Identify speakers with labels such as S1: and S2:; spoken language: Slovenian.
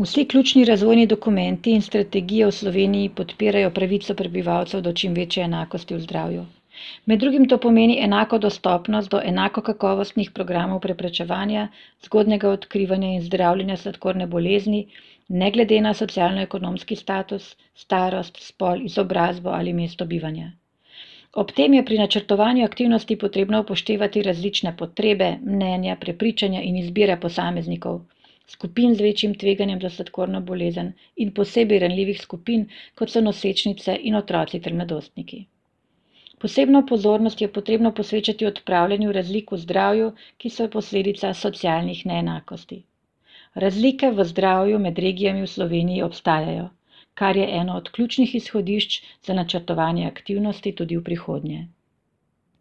S1: Vsi ključni razvojni dokumenti in strategije v Sloveniji podpirajo pravico prebivalcev do čim večje enakosti v zdravju. Med drugim to pomeni enako dostopnost do enako kakovostnih programov preprečevanja, zgodnjega odkrivanja in zdravljenja sladkorne bolezni, ne glede na socialno-ekonomski status, starost, spol, izobrazbo ali mesto bivanja. Ob tem je pri načrtovanju aktivnosti potrebno upoštevati različne potrebe, mnenja, prepričanja in izbire posameznikov, skupin z večjim tveganjem za sladkorno bolezen in posebej ranljivih skupin, kot so nosečnice in otroci ter mladostniki. Posebno pozornost je potrebno posvečati odpravljanju razlik v zdravju, ki so posledica socialnih neenakosti. Razlike v zdravju med regijami v Sloveniji obstajajo, kar je eno od ključnih izhodišč za načrtovanje aktivnosti tudi v prihodnje.